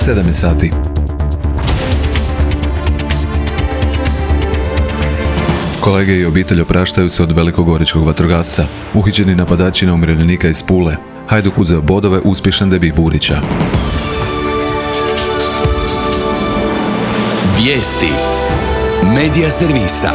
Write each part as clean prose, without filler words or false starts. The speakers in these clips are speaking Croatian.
7 sati. Kolege i obitelj opraštaju se od velikogoričkog vatrogasca. Uhićeni napadači na umirovljenika iz Pule. Hajduk uzeo bodove, uspješan debij Burića. Vijesti Medija servisa.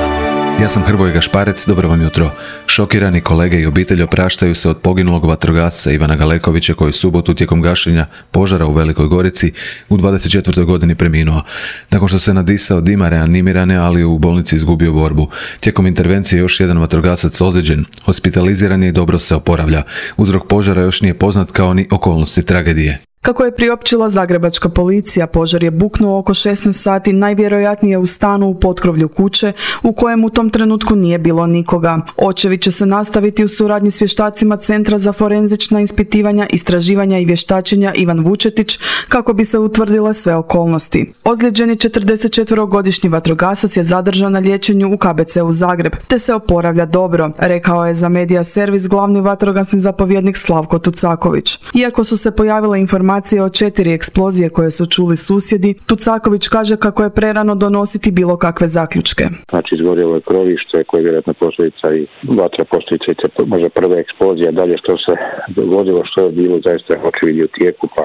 Ja sam Hrvoje Gašparec, dobro vam jutro. Šokirani kolege i obitelj opraštaju se od poginulog vatrogasca Ivana Galekovića koji je subotu tijekom gašenja požara u Velikoj Gorici u 24. godini preminuo. Nakon što se nadisao dima reanimirane, ali u bolnici izgubio borbu. Tijekom intervencije još jedan vatrogasac ozlijeđen, hospitaliziran je i dobro se oporavlja. Uzrok požara još nije poznat kao ni okolnosti tragedije. Kako je priopćila zagrebačka policija, požar je buknuo oko 16 sati, najvjerojatnije u stanu u potkrovlju kuće, u kojem u tom trenutku nije bilo nikoga. Očevi će se nastaviti u suradnji s vještacima Centra za forenzična ispitivanja, istraživanja i vještačenja Ivan Vučetić, kako bi se utvrdile sve okolnosti. Ozlijeđeni 44-godišnji vatrogasac je zadržan na liječenju u KBC-u Zagreb, te se oporavlja dobro, rekao je za Medija servis glavni vatrogasni zapovjednik Slavko Tucaković. Iako su se pojavile informacije o 4 eksplozije koje su čuli susjedi, Tucaković kaže kako je prerano donositi bilo kakve zaključke. Znači, izgorjelo je krovište koje je vjerojatno posljedica i vatra, posljedica i možda prva eksplozija. Dalje što se dogodilo, što je bilo, zaista očevidi u tijeku, pa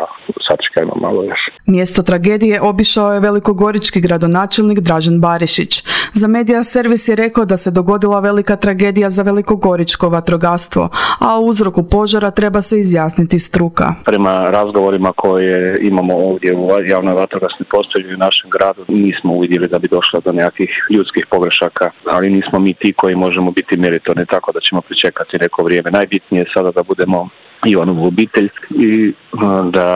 sačekajmo malo još. Mjesto tragedije obišao je velikogorički gradonačelnik Dražen Barišić. Za Medija servis je rekao da se dogodila velika tragedija za velikogoričko vatrogastvo, a o uzroku požara treba se izjasniti struka. Prema razgovorima koje imamo ovdje u javnoj vatrogasnoj postrojbi u našem gradu, nismo uvidjeli da bi došlo do nekakvih ljudskih pogrešaka, ali nismo mi ti koji možemo biti meritorni, tako da ćemo pričekati neko vrijeme. Najbitnije je sada da budemo Ivanovu obitelj i da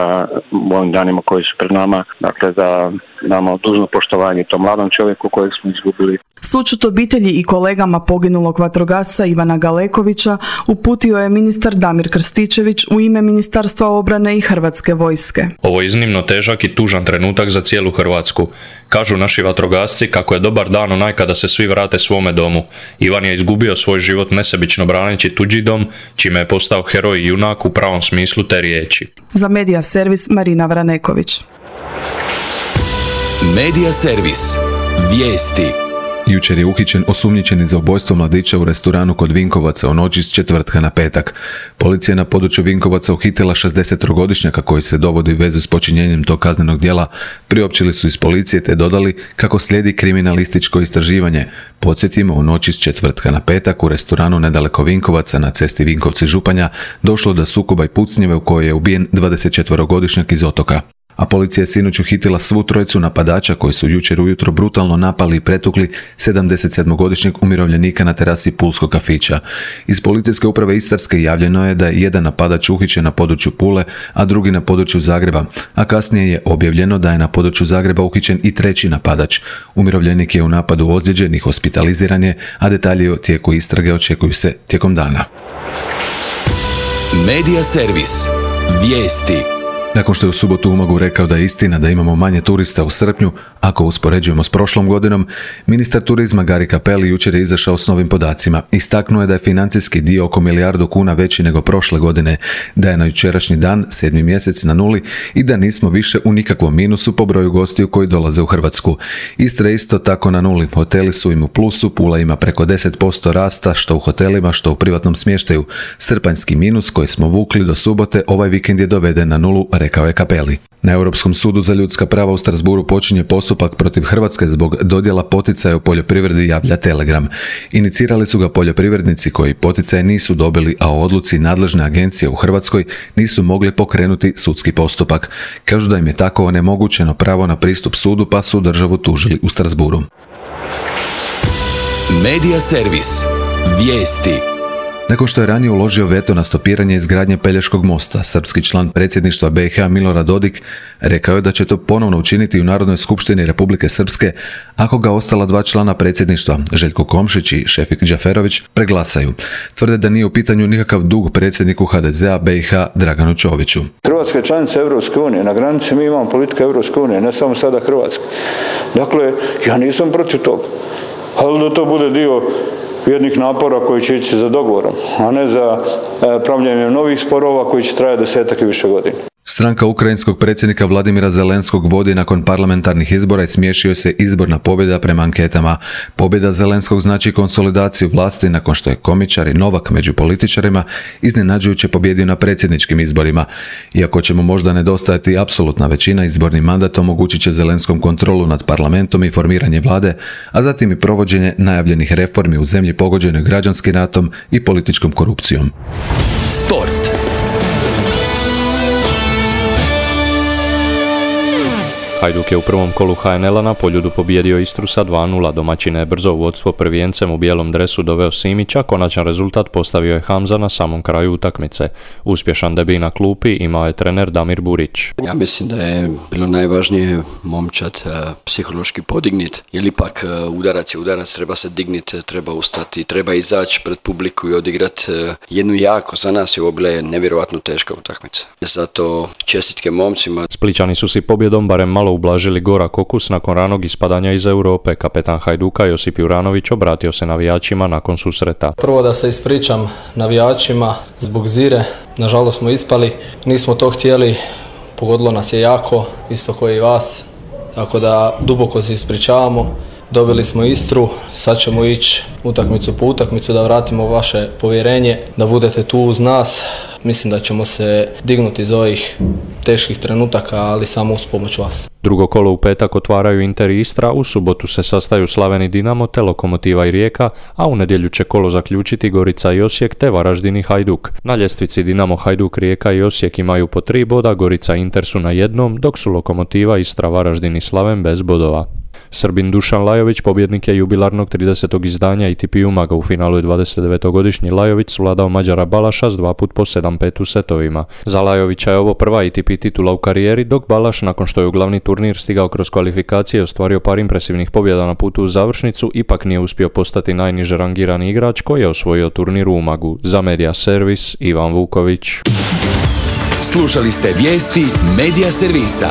u ovim danima koji su pred nama, dakle da damo dužno poštovanje tom mladom čovjeku kojeg smo izgubili. Sućut obitelji i kolegama poginulog vatrogasca Ivana Galekovića uputio je ministar Damir Krstičević u ime Ministarstva obrane i Hrvatske vojske. Ovo je iznimno težak i tužan trenutak za cijelu Hrvatsku. Kažu naši vatrogasci kako je dobar dan onaj kada se svi vrate svome domu. Ivan je izgubio svoj život nesebično braneći tuđi dom, čime je postao heroj i junak u pravom smislu te riječi. Za Medija servis Marina Vraneković. Medija servis. Vijesti. Jučer je uhićen osumnjičeni za ubojstvo mladića u restoranu kod Vinkovaca u noći s četvrtka na petak. Policija na području Vinkovaca uhitila 63-godišnjaka koji se dovodi u vezu s počinjenjem tog kaznenog djela. Priopćili su iz policije te dodali kako slijedi kriminalističko istraživanje. Podsjetimo, u noći s četvrtka na petak u restoranu nedaleko Vinkovaca na cesti Vinkovci-Županja došlo do sukoba i pucnjeve u kojoj je ubijen 24-godišnjak iz Otoka. A policija je sinoć uhitila svu trojicu napadača koji su jučer ujutro brutalno napali i pretukli 77-godišnjeg umirovljenika na terasi pulskog kafića. Iz policijske uprave Istarske javljeno je da je jedan napadač uhićen na području Pule, a drugi na području Zagreba, a kasnije je objavljeno da je na području Zagreba uhićen i treći napadač. Umirovljenik je u napadu ozlijeđen i hospitaliziran je, a detalji o tijeku istrage očekuju se tijekom dana. Medija servis. Vijesti. Nakon što je u subotu u Umagu rekao da je istina da imamo manje turista u srpnju, ako uspoređujemo s prošlom godinom, ministar turizma Gari Cappelli jučer je izašao s novim podacima. Istaknuo je da je financijski dio oko 1 milijardu kuna veći nego prošle godine, da je na jučerašnji dan, 7. mjesec, na nuli i da nismo više u nikakvom minusu po broju gostiju koji dolaze u Hrvatsku. Istra je isto tako na nuli. Hoteli su im u plusu, Pula ima preko 10% rasta, što u hotelima, što u privatnom smještaju. Srpanjski minus koji smo vukli do subote ovaj vikend je doveden na nulu, rekao je Cappelli. Na Europskom sudu za ljudska prava u Strasbourgu počinje postupak protiv Hrvatske zbog dodjela poticaja u poljoprivredi, javlja Telegram. Inicirali su ga poljoprivrednici koji poticaje nisu dobili, a o odluci nadležne agencije u Hrvatskoj nisu mogli pokrenuti sudski postupak. Kažu da im je tako onemogućeno pravo na pristup sudu, pa su državu tužili u Strasbourgu. Medija servis. Vijesti. Nakon što je ranije uložio veto na stopiranje izgradnje Pelješkog mosta, srpski član predsjedništva BiH Milorad Dodik rekao je da će to ponovno učiniti u Narodnoj skupštini Republike Srpske ako ga ostala 2 člana predsjedništva, Željko Komšić i Šefik Džaferović, preglasaju. Tvrde da nije u pitanju nikakav dug predsjedniku HDZ-a BiH Draganu Čoviću. Hrvatska je članica Europske unije, na granici mi imamo politiku Europske unije, ne samo sada Hrvatska. Dakle, ja nisam protiv toga, ali da to bude dio jednih napora koji će ići za dogovorom, a ne za pravljenje novih sporova koji će trajati 10 i više godina. Stranka ukrajinskog predsjednika Vladimira Zelenskog vodi nakon parlamentarnih izbora i smiješio se izborna pobjeda prema anketama. Pobjeda Zelenskog znači konsolidaciju vlasti nakon što je komičar i novak među političarima iznenađujuće pobjedio na predsjedničkim izborima. Iako će mu možda nedostajati apsolutna većina, izborni mandat omogućit će Zelenskom kontrolu nad parlamentom i formiranje vlade, a zatim i provođenje najavljenih reformi u zemlji pogođenoj građanskim ratom i političkom korupcijom. Sport. Hajduk je u prvom kolu HNL-a na Poljudu pobijedio Istru sa 2:0. Domaćine je brzo u vodstvo prvijencem u bijelom dresu doveo Simića, konačan rezultat postavio je Hamza na samom kraju utakmice. Uspješan debij na klupi imao je trener Damir Burić. Ja mislim da je bilo najvažnije momčad psihološki podignit, jer ipak udarac je udarac, treba se dignit, treba ustati, treba izaći pred publiku i odigrati jednu jako, za nas je ovo bila nevjerojatno teška utakmica. Zato čestitke momcima. Splićani su si pobjedom barem malo ublažili gorak okus nakon ranog ispadanja iz Europe. Kapetan Hajduka Josip Juranović obratio se navijačima nakon susreta. Prvo da se ispričam navijačima zbog Zire. Nažalost smo ispali, nismo to htjeli, pogodilo nas je jako, isto kao i vas. Tako da duboko se ispričavamo. Dobili smo Istru, sad ćemo ići utakmicu po utakmicu da vratimo vaše povjerenje, da budete tu uz nas. Mislim da ćemo se dignuti iz ovih teških trenutaka, ali samo uz pomoć vas. Drugo kolo u petak otvaraju Inter i Istra, u subotu se sastaju Slaven i Dinamo te Lokomotiva i Rijeka, a u nedjelju će kolo zaključiti Gorica i Osijek te Varaždin i Hajduk. Na ljestvici Dinamo, Hajduk, Rijeka i Osijek imaju po 3 boda, Gorica i Inter su na 1, dok su Lokomotiva, Istra, Varaždin i Slaven bez bodova. Srbin Dušan Lajović pobjednik je jubilarnog 30. izdanja ATP Umaga. U finalu je 29-godišnji Lajović svladao Mađara Balaša s 2 puta po 7-5 u setovima. Za Lajovića je ovo prva ATP titula u karijeri, dok Balaš, nakon što je u glavni turnir stigao kroz kvalifikacije i ostvario par impresivnih pobjeda na putu u završnicu, ipak nije uspio postati najniže rangirani igrač koji je osvojio turnir u Umagu. Za Media Servis, Ivan Vuković. Slušali ste vijesti Media Servisa.